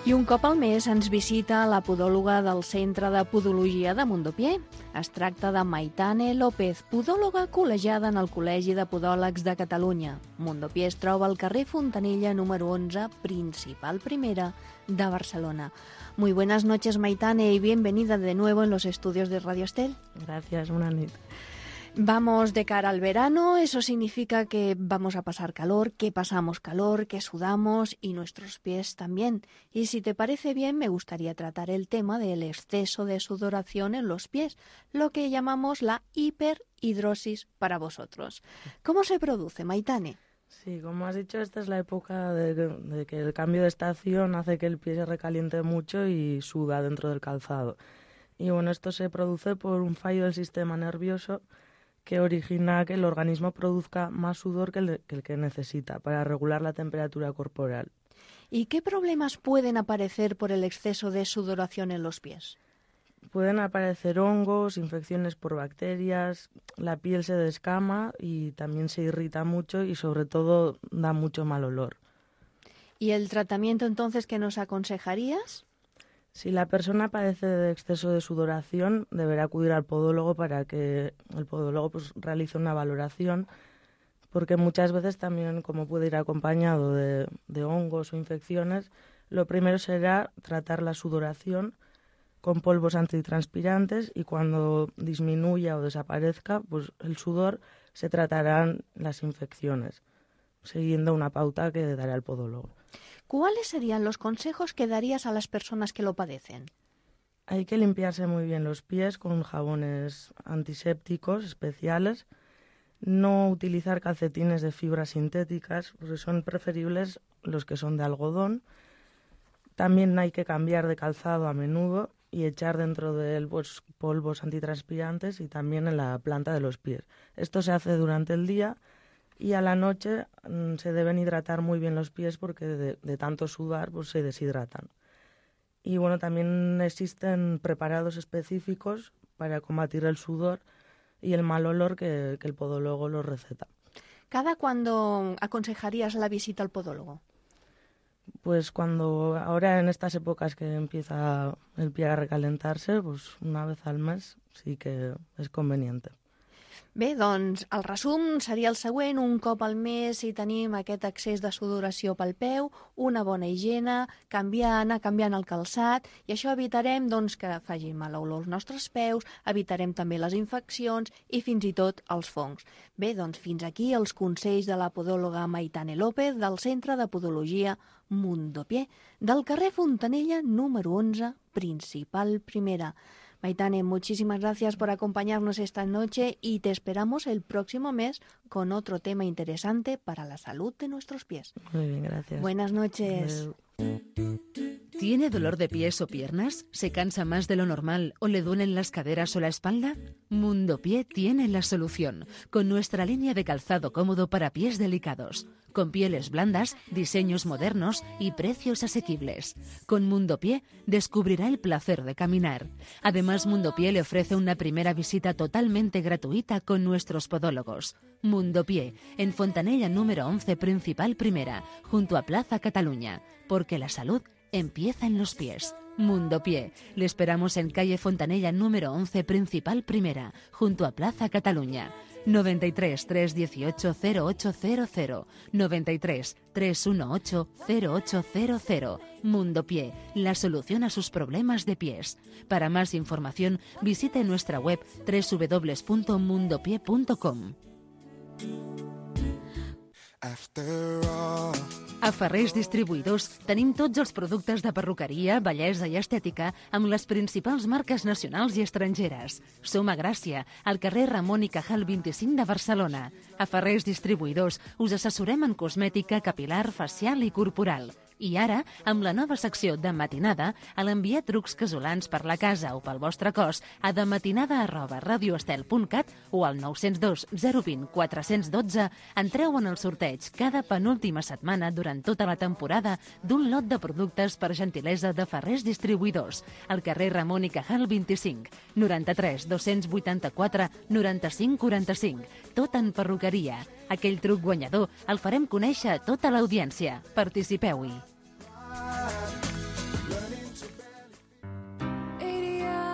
I un cop al mes ens visita la podòloga del Centre de Podologia de Mondopié. Es tracta de Maitane López, podòloga col·legiada en el Col·legi de Podòlegs de Catalunya. Mondopié es troba al carrer Fontanilla número once, principal primera de Barcelona. Muy buenas noches, Maitane, y bienvenida de nuevo en los estudios de Radio Estel. Gracias, buenas noches. Vamos de cara al verano, eso significa que vamos a pasar calor, que pasamos calor, que sudamos y nuestros pies también. Y si te parece bien, me gustaría tratar el tema del exceso de sudoración en los pies, lo que llamamos la hiperhidrosis para vosotros. ¿Cómo se produce, Maitane? Sí, como has dicho, esta es la época de, de que el cambio de estación hace que el pie se recaliente mucho y suda dentro del calzado. Y bueno, esto se produce por un fallo del sistema nervioso que origina que el organismo produzca más sudor que el, que el que necesita para regular la temperatura corporal. ¿Y qué problemas pueden aparecer por el exceso de sudoración en los pies? Pueden aparecer hongos, infecciones por bacterias, la piel se descama y también se irrita mucho y sobre todo da mucho mal olor. ¿Y el tratamiento entonces que nos aconsejarías? Si la persona padece de exceso de sudoración, deberá acudir al podólogo para que el podólogo pues, realice una valoración, porque muchas veces también, como puede ir acompañado de, de hongos o infecciones, lo primero será tratar la sudoración con polvos antitranspirantes y cuando disminuya o desaparezca pues, el sudor, se tratarán las infecciones, siguiendo una pauta que dará el podólogo. ¿Cuáles serían los consejos que darías a las personas que lo padecen? Hay que limpiarse muy bien los pies con jabones antisépticos especiales, no utilizar calcetines de fibras sintéticas, porque son preferibles los que son de algodón. También hay que cambiar de calzado a menudo y echar dentro de él pues, polvos antitranspirantes y también en la planta de los pies. Esto se hace durante el día. Y a la noche mmm, se deben hidratar muy bien los pies porque de, de tanto sudar pues, se deshidratan. Y bueno, también existen preparados específicos para combatir el sudor y el mal olor que, que el podólogo los receta. ¿Cada cuándo aconsejarías la visita al podólogo? Pues cuando ahora en estas épocas que empieza el pie a recalentarse, pues una vez al mes sí que es conveniente. Bé, doncs el resum seria el següent. Un cop al mes si tenim aquest excés de sudoració pel peu, una bona higiene, canviar, anar canviant el calçat, i això evitarem doncs, que facin mal olor als nostres peus, evitarem també les infeccions i fins i tot els fongs. Bé, doncs fins aquí els consells de la podòloga Maitane López del Centre de Podologia Mundopié, del carrer Fontanella número once, Principal Primera. Maitane, muchísimas gracias por acompañarnos esta noche y te esperamos el próximo mes con otro tema interesante para la salud de nuestros pies. Muy bien, gracias. Buenas noches. ¿Tiene dolor de pies o piernas? ¿Se cansa más de lo normal o le duelen las caderas o la espalda? Mundopié tiene la solución, con nuestra línea de calzado cómodo para pies delicados, con pieles blandas, diseños modernos y precios asequibles. Con Mundopié descubrirá el placer de caminar. Además, Mundopié le ofrece una primera visita totalmente gratuita con nuestros podólogos. Mundopié, en Fontanella número once, Principal Primera, junto a Plaza Cataluña, porque la salud empieza en los pies. Mundopié. Le esperamos en calle Fontanella número once, Principal Primera, junto a Plaza Cataluña. noventa y tres, trescientos dieciocho, cero ocho cero cero, noventa y tres, trescientos dieciocho, cero ocho cero cero. Mundopié, la solución a sus problemas de pies. Para más información, visite nuestra web doble u doble u doble u punto mundopié punto com. A Ferrers Distribuïdors tenim tots els productes de perruqueria, bellesa i estètica amb les principals marques nacionals i estrangeres. Som a Gràcia, al carrer Ramon i Cajal vint-i-cinc de Barcelona. A Ferrers Distribuïdors us assessorem en cosmètica capilar, facial i corporal. I ara, amb la nova secció de Matinada, a l'enviar trucs casolans per la casa o pel vostre cos a dematinada arroba radioestel punt cat o al nou zero dos, zero dos zero, quatre un dos, entreu en el sorteig cada penúltima setmana durant tota la temporada d'un lot de productes per gentilesa de Ferrers Distribuïdors, al carrer Ramon i Cajal vint-i-cinc, noranta-tres, dos-cents vuitanta-quatre, noranta-cinc, quaranta-cinc. Tot en perruqueria. Aquell truc guanyador el farem conèixer a tota l'audiència. Participeu-hi.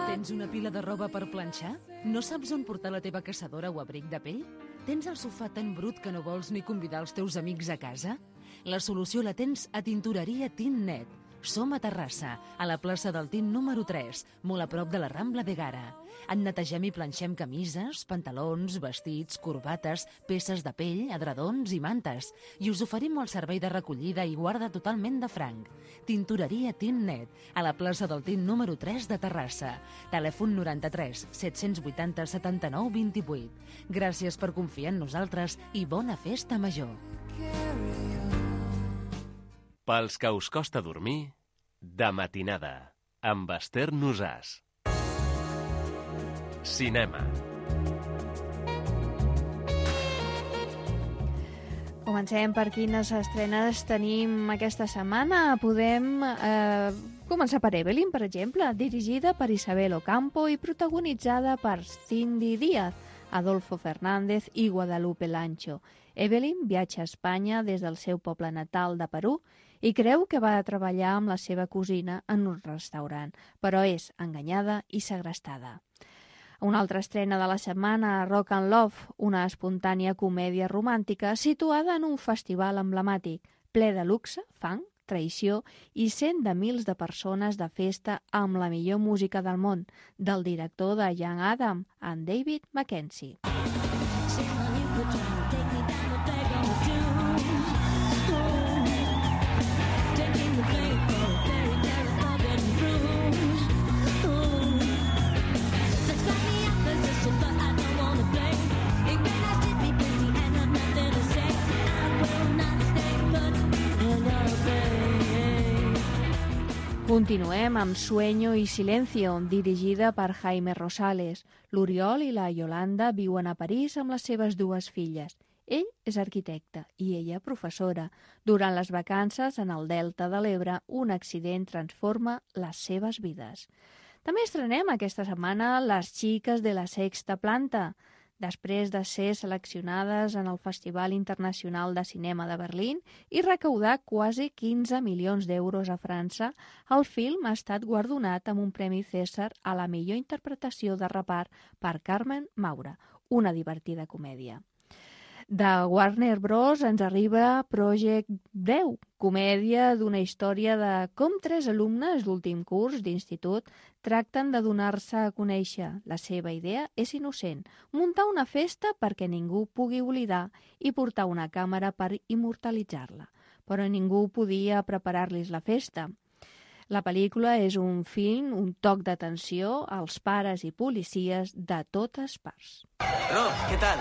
Tens una pila de roba per planxar? No saps on portar la teva caçadora o abric de pell? Tens el sofà tan brut que no vols ni convidar els teus amics a casa? La solució la tens a Tintoreria Tint Net. Som a Terrassa, a la plaça del Tin número tres, molt a prop de la Rambla de Gara. En netegem i planxem camises, pantalons, vestits, corbates, peces de pell, edredons i mantes. I us oferim el servei de recollida i guarda totalment de franc. Tintoreria Tinnet, a la plaça del Tin número tres de Terrassa. Telèfon noranta-tres set-cents vuitanta setanta-nou vint-i-vuit. Gràcies per confiar en nosaltres i bona festa major. Pels que us costa dormir, de matinada, amb Esther Nosàs. Cinema. Comencem per quines estrenes tenim aquesta setmana. Podem eh, començar per Evelyn, per exemple, dirigida per Isabel Ocampo i protagonitzada per Cindy Díaz, Adolfo Fernández i Guadalupe Lancho. Evelyn viatja a Espanya des del seu poble natal de Perú i creu que va a treballar amb la seva cosina en un restaurant, però és enganyada i segrestada. Una altra estrena de la setmana, Rock and Love, una espontània comèdia romàntica situada en un festival emblemàtic, ple de luxe, fang, traïció i cent de mils de persones de festa amb la millor música del món, del director de Young Adam, en David Mackenzie. Continuem amb Sueño y Silencio, dirigida per Jaime Rosales. L'Oriol i la Yolanda viuen a París amb les seves dues filles. Ell és arquitecte i ella professora. Durant les vacances en el Delta de l'Ebre, un accident transforma les seves vides. També estrenem aquesta setmana Les xiques de la sexta planta. Després de ser seleccionades en el Festival Internacional de Cinema de Berlín i recaudar quasi quinze milions d'euros a França, el film ha estat guardonat amb un Premi César a la millor interpretació de repart per Carmen Maura, una divertida comèdia. De Warner Bros. Ens arriba Project deu, comèdia d'una història de com tres alumnes d'últim curs d'institut tracten de donar-se a conèixer. La seva idea és innocent, muntar una festa perquè ningú pugui oblidar i portar una càmera per immortalitzar-la. Però ningú podia preparar-los la festa. La pel·lícula és un film, un toc d'atenció als pares i policies de totes parts. Rob, ¿qué tal?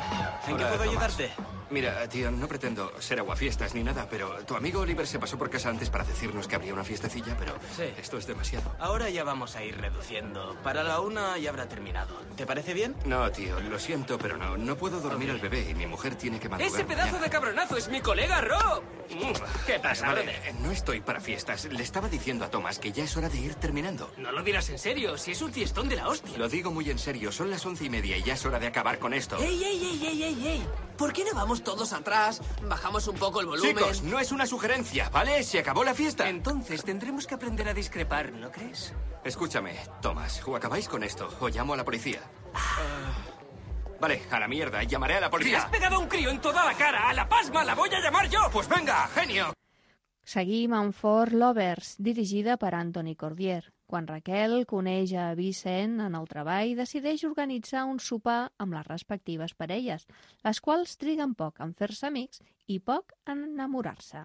¿En Hola, qué puedo Tomás. ayudarte? Mira, tío, no pretendo ser aguafiestas ni nada, pero tu amigo Oliver se pasó por casa antes para decirnos que habría una fiestecilla, pero Sí. esto es demasiado. Ahora ya vamos a ir reduciendo. Para la una ya habrá terminado. ¿Te parece bien? No, tío, lo siento, pero no. No puedo dormir al bebé y mi mujer tiene que madrugar. ¡Ese pedazo mañana. de cabronazo es mi colega Rob! ¿Qué pasa, Vale, brother? eh, no estoy para fiestas. Le estaba diciendo a Tomás que ya es hora de ir terminando. No lo dirás en serio, si es un fiestón de la hostia. Lo digo muy en serio, son las once y media y ya es hora de acabar con esto. ¡Ey, ey, ey, ey, ey, ey! ¿Por qué no vamos todos atrás, bajamos un poco el volumen? Chicos, no es una sugerencia, ¿vale? Se acabó la fiesta. Entonces tendremos que aprender a discrepar, ¿no crees? Escúchame, Tomás, o acabáis con esto, o llamo a la policía. Vale, a la mierda, llamaré a la ¡Le policía. has pegado a un crío en toda la cara! ¡A la pasma la voy a llamar yo! Pues venga, genio. Seguim amb For Lovers, dirigida per Anthony Cordier. Quan Raquel coneix a Vicent en el treball, decideix organitzar un sopar amb les respectives parelles, les quals triguen poc en fer-se amics i poc en enamorar-se.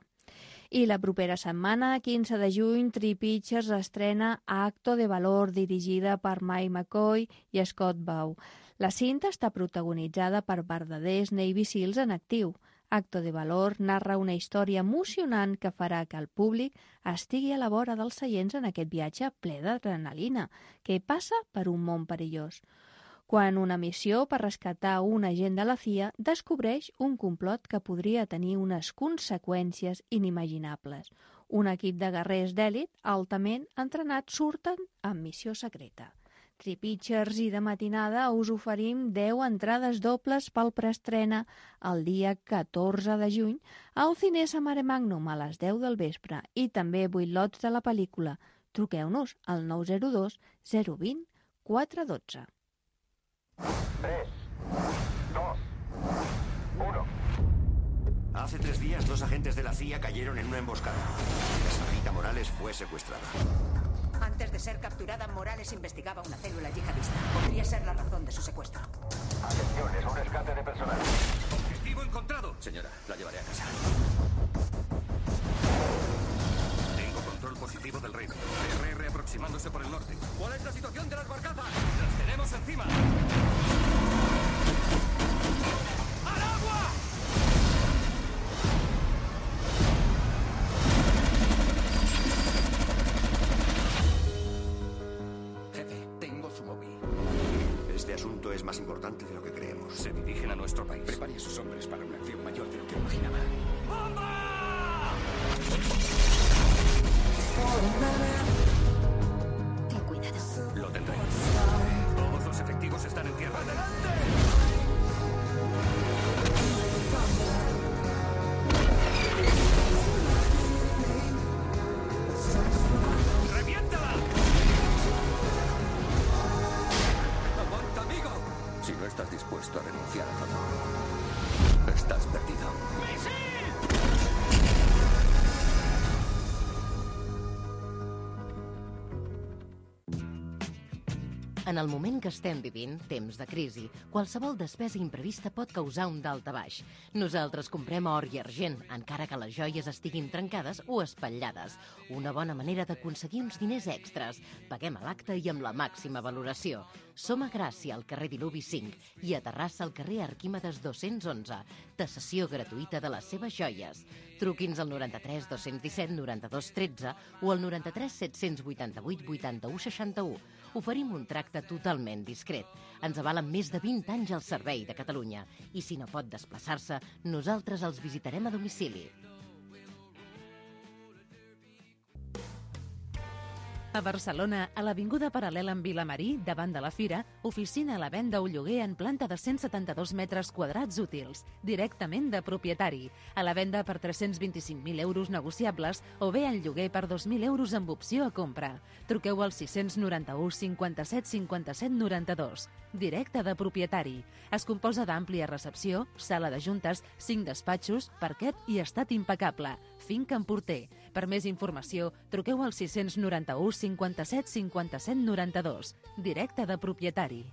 I la propera setmana, quinze de juny, Three Pictures estrena Acto de Valor, dirigida per Mike McCoy i Scott Baugh. La cinta està protagonitzada per verdaders Navy Seals en actiu. Acto de Valor narra una història emocionant que farà que el públic estigui a la vora dels seients en aquest viatge ple d'adrenalina, que passa per un món perillós. Quan una missió per rescatar un agent de la C I A descobreix un complot que podria tenir unes conseqüències inimaginables. Un equip de guerrers d'èlit altament entrenats surten en missió secreta. Three Pictures i de matinada us oferim deu entrades dobles pel preestrena el dia catorze de juny al Cinesa Mare Magnum a les deu del vespre i també vuit lots de la pel·lícula. Truqueu-nos al nou zero dos zero dos zero quatre uno dos. tres, dos, uno. Hace tres días, dos agentes de la C I A cayeron en una emboscada. La señorita Morales fue secuestrada. Antes de ser capturada, Morales investigaba una célula yihadista. Podría ser la razón de su secuestro. Atención, es un rescate de personal. Objetivo encontrado. Señora, la llevaré a casa. Tengo control positivo del reino. R R aproximándose por el norte. ¿Cuál es la situación de las barcazas? ¡Las tenemos encima! ¡Al agua! Jefe, tengo su móvil. Este asunto es más importante de lo que creemos. Se dirigen a nuestro país. Prepare a sus hombres para una acción mayor de lo que imaginaba. ¡Bomba! Ten cuidado. Lo tendré. Todos los efectivos están en tierra. ¡Adelante! ¡Reviéntala! ¡Aguanta, amigo! Si no estás dispuesto a renunciar a todo, estás perdido. En el moment que estem vivint, temps de crisi, qualsevol despesa imprevista pot causar un daltabaix. Nosaltres comprem or i argent, encara que les joies estiguin trencades o espatllades. Una bona manera d'aconseguir uns diners extras. Paguem a l'acte i amb la màxima valoració. Som a Gràcia, al carrer Diluvi cinc, i a Terrassa, al carrer Arquímedes dos-cents onze. Tasació gratuïta de les seves joies. Truqui'ns al noranta-tres dos-cents disset noranta-dos tretze o al noranta-tres set-cents vuitanta-vuit vuitanta-u seixanta-u. Oferim un tracte totalment discret. Ens avalen més de vint anys al servei de Catalunya. I si no pot desplaçar-se, nosaltres els visitarem a domicili. A Barcelona, a l'Avinguda Paral·lela amb Vilamarí, davant de la Fira, oficina a la venda o lloguer en planta de cent setanta-dos metres quadrats útils, directament de propietari. A la venda per tres-cents vint-i-cinc mil euros negociables o bé en lloguer per dos mil euros amb opció a compra. Truqueu al sis noranta-u cinquanta-set cinquanta-set noranta-dos. Directe de propietari. Es composa d'àmplia recepció, sala de juntes, cinc despatxos, parquet i estat impecable. Finca en Porter. Per més informació, truqueu al sis noranta-u cinquanta-set cinquanta-set noranta-dos. Directe de propietari.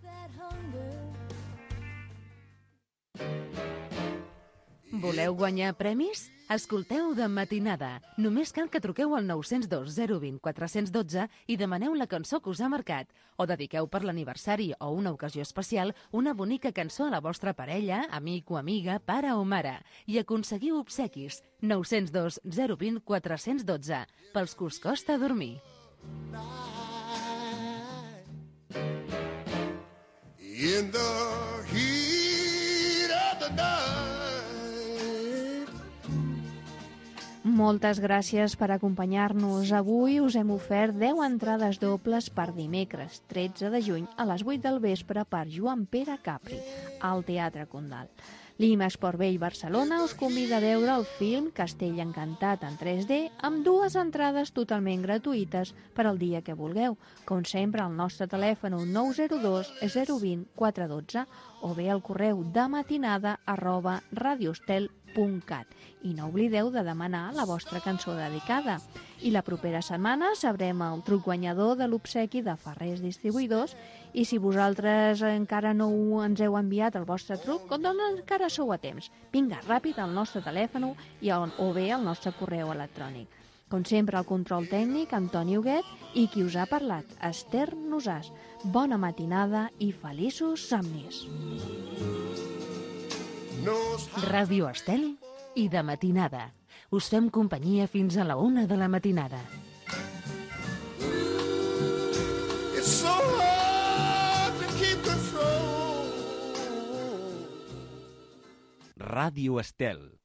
Voleu guanyar premis? Escolteu De Matinada. Només cal que truqueu al nou zero dos zero dos zero quatre un dos i demaneu la cançó que us ha marcat. O dediqueu per l'aniversari o una ocasió especial una bonica cançó a la vostra parella, amic o amiga, pare o mare. I aconseguiu obsequis. nou zero dos zero dos zero quatre un dos pels que us costa dormir. In the heat of the night. Moltes gràcies per acompanyar-nos. Avui us hem ofert deu entrades dobles per dimecres, tretze de juny, a les vuit del vespre per Joan Pere Capri, al Teatre Condal. L'I M A Esport Vell Barcelona us convida a veure el film Castell Encantat en tres D amb dues entrades totalment gratuïtes per al dia que vulgueu. Com sempre, al nostre telèfon nou zero dos zero dos zero quatre un dos o bé al correu de matinada arroba radiostel punt cat. I no oblideu de demanar la vostra cançó dedicada. I la propera setmana sabrem el truc guanyador de l'obsequi de Ferrers Distribuïdors i si vosaltres encara no ens heu enviat el vostre truc, doncs encara sou a temps. Vinga, ràpid al nostre telèfon i on, o bé al nostre correu electrònic. Com sempre, el control tècnic, Antoni Huguet, i qui us ha parlat, Esther Nosàs. Bona matinada i feliços somnis. Ràdio Estel i De Matinada. Us fem companyia fins a la una de la matinada. It's so hard to keep control. Ràdio Estel.